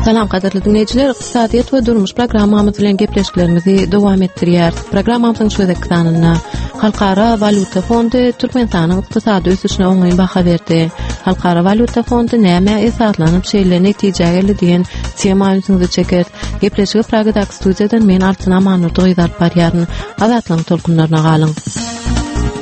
Salam gadyrly diňleýjiler, ykdysadyýet we durmuş programmamyz bilen gepleşiklerimizi dowam etdirýäris. Programmamyzyň şu gezekki sanynda Halkara walýuta fondy Türkmenistanyň ykdysady ösüşine oňyn baha berdi. Halkara walýuta fondy nämä esaslanyp şeýle netijä geldi diýen tema ünsüňizi çekeris. Gepleşigi Pragadaky studiýadan men Altyn Amandurdy gyzy alyp barýaryn. Azatlygyň tolkunlaryna galyň.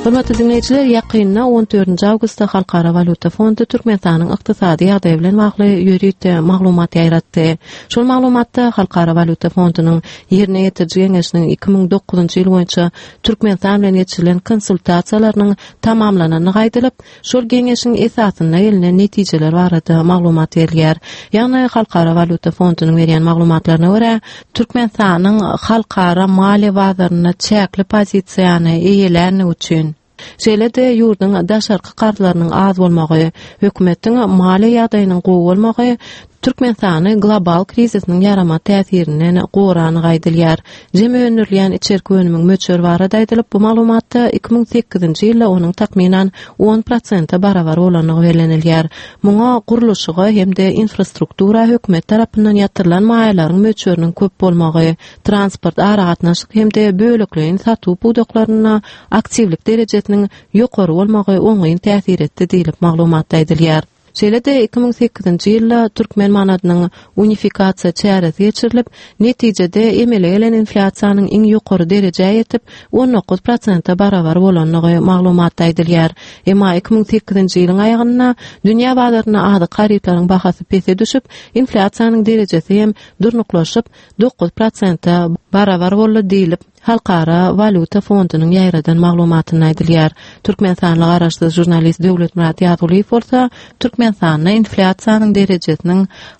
Hormatly diňleýjiler, ýakynda 14 awgustda Halkara walýuta fondy Türkmenistanyň ykdysady ýagdaýy bilen bagly ýörite maglumat ýaýratdy. Şol maglumatda Halkara walýuta fondunyň Ýerine ýetiriji geňeşiniň 2009-njy ýyl boýunça Türkmenistan bilen geçirilen konsultasiýalarynyň tamamlanandygy aýdylyp, şol geňeşiň esasynda gelnen netijeler barada maglumat berilýär. Ýagny Halkara walýuta fondunyň berýän maglumatlaryna görä, Türkmenistanyň halkara maliýe bazarynda çäkli pozisiýany eýelänligi üçin, şeýle-de ýurduň daşarky karzlarynyň az bolmagy, hökümetiň maliýe ýagdaýynyň gowy bolmagy Türkmenistany global krizisiniň ýaramaz täsirinden goranygy aýdylýar. Jemi öndürilýän içerki önümiň möçberi barada aýdylyp, bu maglumatda 2008-nji ýylda onuň takmynan on prosente barabar bolandygy bellenilýär. Muňa gurluşyga hem-de infrastruktura hökümet tarapyndan ýatyrylan maýalaryň möçberiniň köp bolmagy, transport, aragatnaşyk hem-de bölekleýin satuw pudaklarynda aktiwlik derejesiniň ýokary bolmagy oňyn täsir etdi diýlip, maglumatda aýdylýar. Şeýle-de, 2008-nji ýylda türkmen manadynyň unifikasiýa çäresi geçirilip, netijede emele gelen inflýasiýanyň iň ýokary derejä ýetip, 19 prosente barabar bolandygy maglumatda aýdylýar. Emma 2008-nji ýylyň aýagynda dünýä bazarynda azyk harytlaryň bahasy pese düşüp, inflýasiýanyň derejesi hem durnuklaşyp, 9 prosente barabar boldy diýlip, Halkara walýuta fondunyň ýaýradan maglumatynda aýdylýar. Türkmenistanly garaşsyz žurnalist Döwletmyrat Ýazgulyýew bolsa Türkmenistanda inflýasiýanyň derejesiniň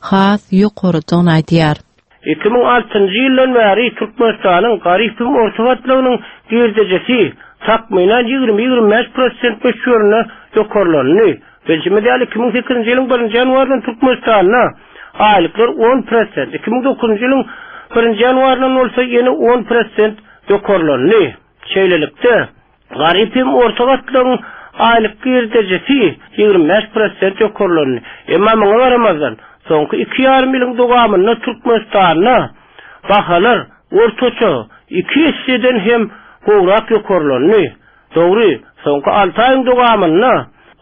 has ýokarydygyny aýdýar. 2006-njy ýyldan bäri Türkmenistanyň garyp hem orta gatlagynyň girdejisi takmynan 20-25 prosent möçberinde ýokarlandy. Bilşimiz ýaly, 2008-nji ýylyň birinji ýanwaryndan Türkmenistanda aýlyklar on prosent, 2009-njy ýylyň birinji ýanwaryndan bolsa ýene on prosent ýokarlandy. Şeýlelikde, garyp hem orta gatlagyň aýlyk girdejisi 25 prosent ýokarlandy. Emma muňa garamazdan, soňky iki ýarym ýylyň dowamynda Türkmenistanda bahalar ortaça iki esseden hem gowrak ýokarlandy. Dogry, soňky alty aýyň dowamynda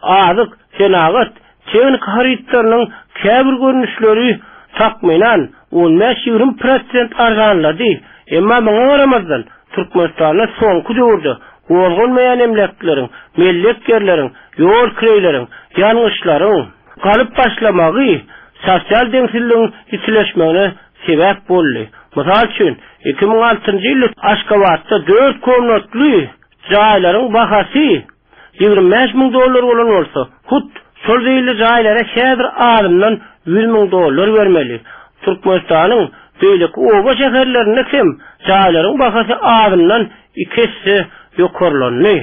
azyk, senagat, tehnika harytlarynyň käbir görnüşleri takmynan on bäş-ýigrimi prosent arzanlady. Emma muňa garamazdan, Türkmenistanda soňky döwürde gozgalmaýan emläkleriň, mellek ýerleriň, ýol kireýleriň, ýangyçlaryň galyp başlamagy sosial deňsizligiň ýitileşmegine sebäp boldy. Mysal üçin, 2006-njy ýylda Aşgabatda dört komnatly jaýlaryň bahasy 25 müň dollar bolan bolsa, hut şol zeýilli jaýlara häzir azyndan 100 müň dollar bermeli. Türkmenistanyň beýleki oba-şäherlerinde hem jaýlaryň bahasy azyndan iki esse ýokarlandy.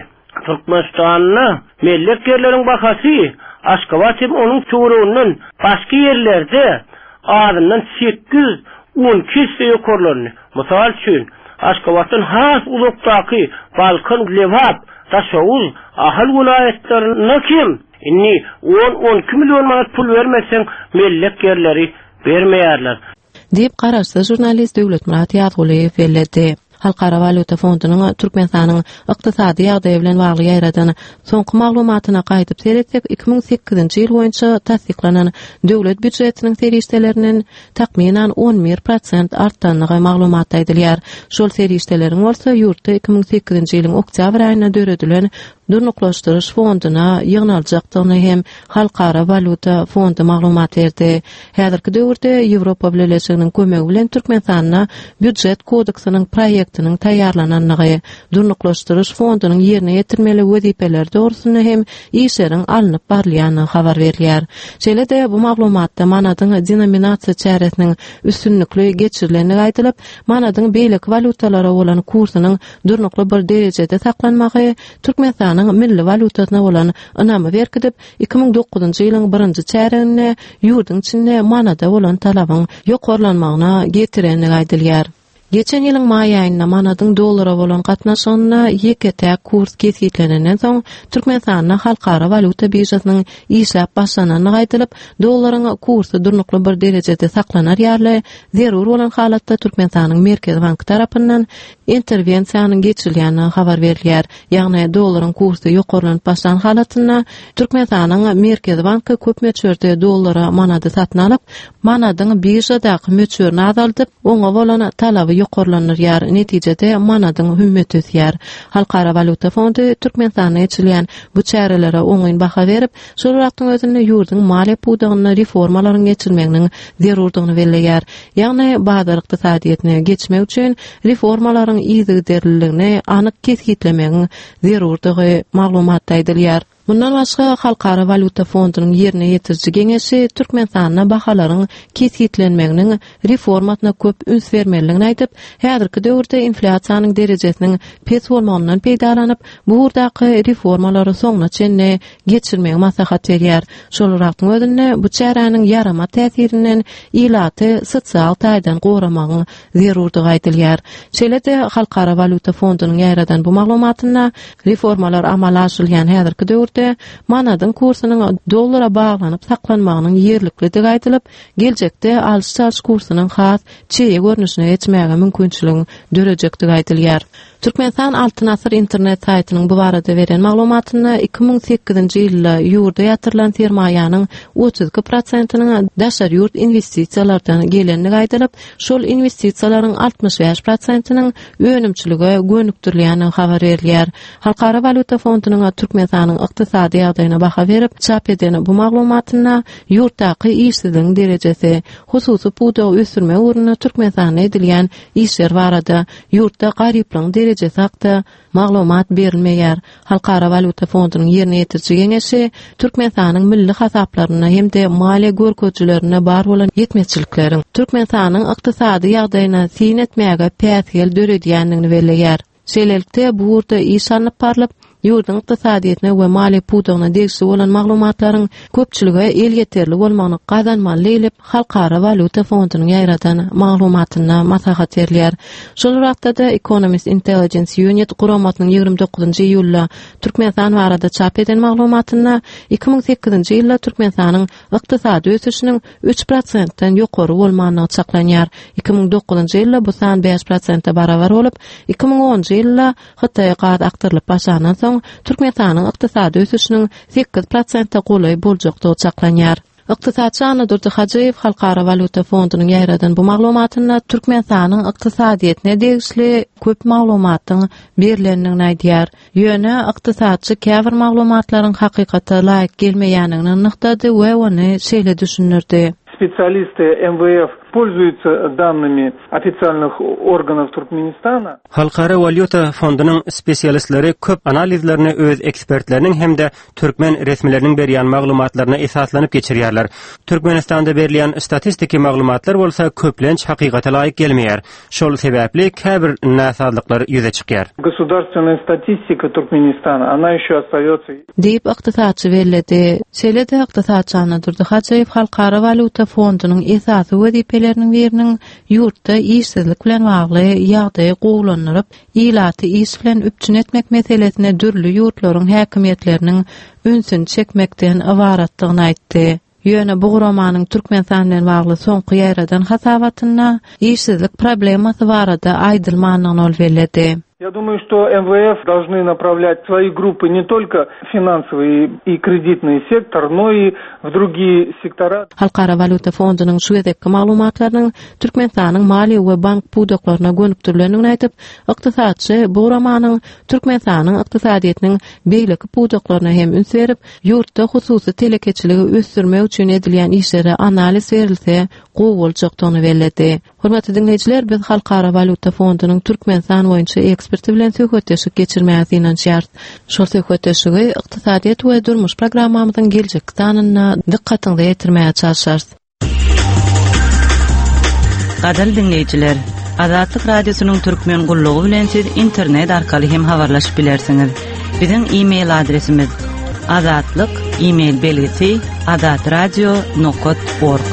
Türkmenistanda mellek ýerleriň bahasy Aşgabat hem onuň töwereginden başga ýerlerde azyndan sekiz, on iki esse ýokarlandy. Mysal üçin, Aşgabatdan has uzakdaky Balkan, Lebap, Daşoguz, Ahal welaýatlarynda hem indi on-on iki million manat pul bermeseň mellek ýerleri bermeýärler. Diýip, garaşsyz žurnalist Döwletmyrat Ýazgulyýew belledi. Halkara walýuta fondunyň Türkmenistanyň ykdysady ýagdaýy bilen bagly ýaýradan soňky maglumatyna gaýdyp seretsek, 2008-nji ýyl boýunça tassyklanan döwlet býujetiniň serişdelerinden takmynan 11 prosent artandygy maglumatda aýdylýar. Şol serişdeleriň bolsa ýurtda 2008-nji ýylyň oktýabr aýynda döredilen Durnuklaşdyryş fonduna ýygnaljakdygyny hem Halkara walýuta fondy maglumat berdi. Häzirki döwürde Ýewropa Bileleşiginiň kömegi bilen Türkmenistanda Býujet kodeksiniň proýektiniň taýýarlanandygy, Durnuklaşdyryş fondunyň ýerine ýetirmeli wezipeleri dogrusynda hem işleriň alnyp barylýandygy habar berilýär. Şeýle-de bu maglumatda manadyň denominasiýa çäresiniň üstünlikli geçirilendigi aýdylyp, manadyň beýleki walýutalara bolan kursunyň durnukly bir derejede saklanmagy Türkmenistanyň milli walýutasyna bolan ynamy berkidip, 2009-njy ýylyň birinji çärýeginde ýurduň içinde manada bolan talabyň ýokarlanmagyna getirendigi aýdylýar. Geçen ýylyň maý aýynda manadyň dollara bolan gatnaşygynda ýeke-täk kurs kesgitlenenden soň, Türkmenistanda halkara walýuta biržasynyň işläp başlanandygy aýdylyp, dollaryň kursy durnukly bir derejede saklanar ýaly, zerur bolan halatda Türkmenistanyň Merkezi banky tarapyndan interwensiýanyň geçirilýändigi habar berilýär. Ýagny dollaryň kursy ýokarlanyp başlan halatynda Türkmenistanyň Merkezi banky köp möçberde dollara manady satyn alyp, manadyň biržadaky möçberini azaldyp, oňa bolan talaby ýokarlandyrýar, netijede manadyň hümmeti ösýär. Halkara walýuta fondy Türkmenistanda geçirilýän bu çärelere oňyn baha berip, şol bir wagtyň özünde ýurduň maliýe pudagynda reformalaryň geçirilmeginiň zerurdygyny belleýär. Ýagny bazar ykdysadyýetine geçmek üçin reformalaryň yzygiderliligini anyk kesgitlemegiň zerurdygy maglumatda aýdylýar. Mundan başga, Halkara walýuta fondunyň ýerine ýetiriji geňeşi Türkmenistanda bahalaryň kesgitlenmeginiň reformasyna köp üns bermelidigini aýdyp, häzirki döwürde inflýasiýanyň derejesiniň pes bolmagyndan peýdalanyp, bu ugurdaky reformalary soňuna çenli geçirmegi maslahat berýär. Şol bir wagtyň özünde bu çäräniň ýaramaz täsirinden ilaty sosial taýdan goramagyň zerurdygy aýdylýar. Şeýle-de Halkara walýuta fondunyň ýaýradan bu maglumatynda reformalar amala aşyrylýan häzirki döwürde manadyň kursunyň dollara baglanyp saklanmagynyň ýerliklidigi aýdylyp, geljekde alyş-çalyş kursunyň has çeýe görnüşine geçmäge mümkinçiligiň dörejekdigi aýdylýar. Türkmenistan Altyn asyr internet saýtynyň bu barada beren maglumatynda 2008-nji ýylda ýurda ýatyrylan sermaýanyň 32 prosentiniň daşary ýurt inwestisiýalardan gelendigi aýdylyp, şol inwestisiýalaryň 65 prosentiniň önümçilige gönükdirilýändigi habar berilýär. Halkara walýuta fondunyň Türkmenistanyň ykdysady ýagdaýyna baha berip çap eden bu maglumatynda ýurtdaky işsizligiň derejesi, hususy pudagy ösdürmek ugrunda Türkmenistanda edilýän işler barada ýurtda garyplygyň derejesi hakda maglumat berilmeýär. Halkara walýuta fondunyň ýerine ýetiriji geňeşi Türkmenistanyň milli hasaplarynda hem-de maliýe görkezijilerinde bar bolan ýetmezçilikleriň Türkmenistanyň ykdysady ýagdaýyna syn etmäge päsgel döredýändigini belleýär. Şeýlelikde, bu ugurda iş alnyp barlyp, ýurduň ykdysadyýetine we maliýe pudagyna degişli bolan maglumatlaryň köpçülige elýeterli bolmagyny gazanmaly diýlip, Halkara walýuta fondunyň ýaýradan maglumatynda maslahat berilýär. Şol bir wagtda-da Economist Intelligence Unit guramasynyň 29-njy iýulda Türkmenistan barada çap eden maglumatynda 2008-nji ýylda Türkmenistanyň ykdysady ösüşiniň 3 prosentden ýokary bolmandygy çaklanýar. 2009-njy ýylda bu san 5 prosente barabar bolup, 2010-njy ýylda Hytaýa gaz akdyrylyp başlandan soň, Türkmenistanyň ykdysady ösüşiniň 8 prosente golaý boljakdygy çaklanýar. Ykdysatçy Annadurdy Hajyýew Halkara walýuta fondunyň ýaýradan bu maglumatynda Türkmenistanyň ykdysadyýetine degişli köp maglumatyň berlendigini aýdýar. Ýöne ykdysatçy käbir maglumatlaryň hakykata laýyk gelmeýändigini nygtady we ony şeýle düşündirdi. Spesialisty MWF pользуются данными ofitsialnyh organov Turkmenistana. Halkara walýuta fondunyň spesialistleri köp analizlerini öz ekspertleriniň hem-de türkmen resmileriniň berýän maglumatlaryna esaslanyp geçirýärler. Türkmenistanda berilýän statistiki maglumatlar bolsa köplenç hakykata laýyk gelmeýär. Şol sebäpli käbir näsazlyklar ýüze çykýar. Gosudarstwennaýa statistika Turkmenistana, ona ýeşe ostaýotsa. Diýip, ykdysatçy belledi. Şeýle-de, ykdysatçy Annadurdy Hajyýew Halkara walýuta fondunyň esasy wezipeleriniň biriniň ýurtda işsizlik bilen bagly ýagdaýy gowulandyryp, ilaty iş bilen üpjün etmek meselesine dürli ýurtlaryň häkimiýetleriniň ünsüni çekmekden ybaratdygyny aýtdy. Ýöne bu guramanyň Türkmenistan bilen bagly soňky ýaýradan hasabatynda işsizlik problemasy barada aýdylmandygyny ol belledi. Я думаю, что МВФ должны направлять свои группы не только в финансовый и кредитный сектор, но и в другие сектора. Halkara walýuta fondunyň şu gezekki maglumatlarynyň Türkmenistanyň maliýe we bank pudaklaryna gönükdirilendigini aýdyp, ykdysatçy bu guramanyň Türkmenistanyň ykdysadyýetiniň beýleki pudaklaryna hem üns berip, ýurtda hususy telekeçiligi ösdürmek üçin edilýän işlere analiz berilse gowy boljakdygyny belledi. Hormatly diňleýjiler, biz Halkara walýuta fondunyň Türkmenistan boýunça eksperti bilen söhbetdeşlik geçirmäge synanyşýarys. Şol söhbetdeşligi Ykdysadyýet we durmuş programmamyzyň geljekki sanynda dykgatyňyza ýetirmäge çalşarys. Gadyrly diňleýjiler, Azatlyk Radiosynyň Türkmen gullugy bilen siz internet arkaly hem habarlaşyp bilersiňiz. Biziň e-mail adresimiz azatlyk e-mail belgisi azatradio nokat org.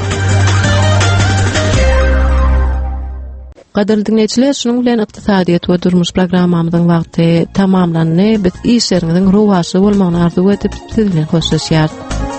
Gadyrly diňleýjiler, şunuň bilen ykdysadyýet we durmuş programmamyzyň wagty tamamlandy. Biz işleriňiziň rowaçly bolmagyny arzuw edip, siz bilen hoşlaşýarys.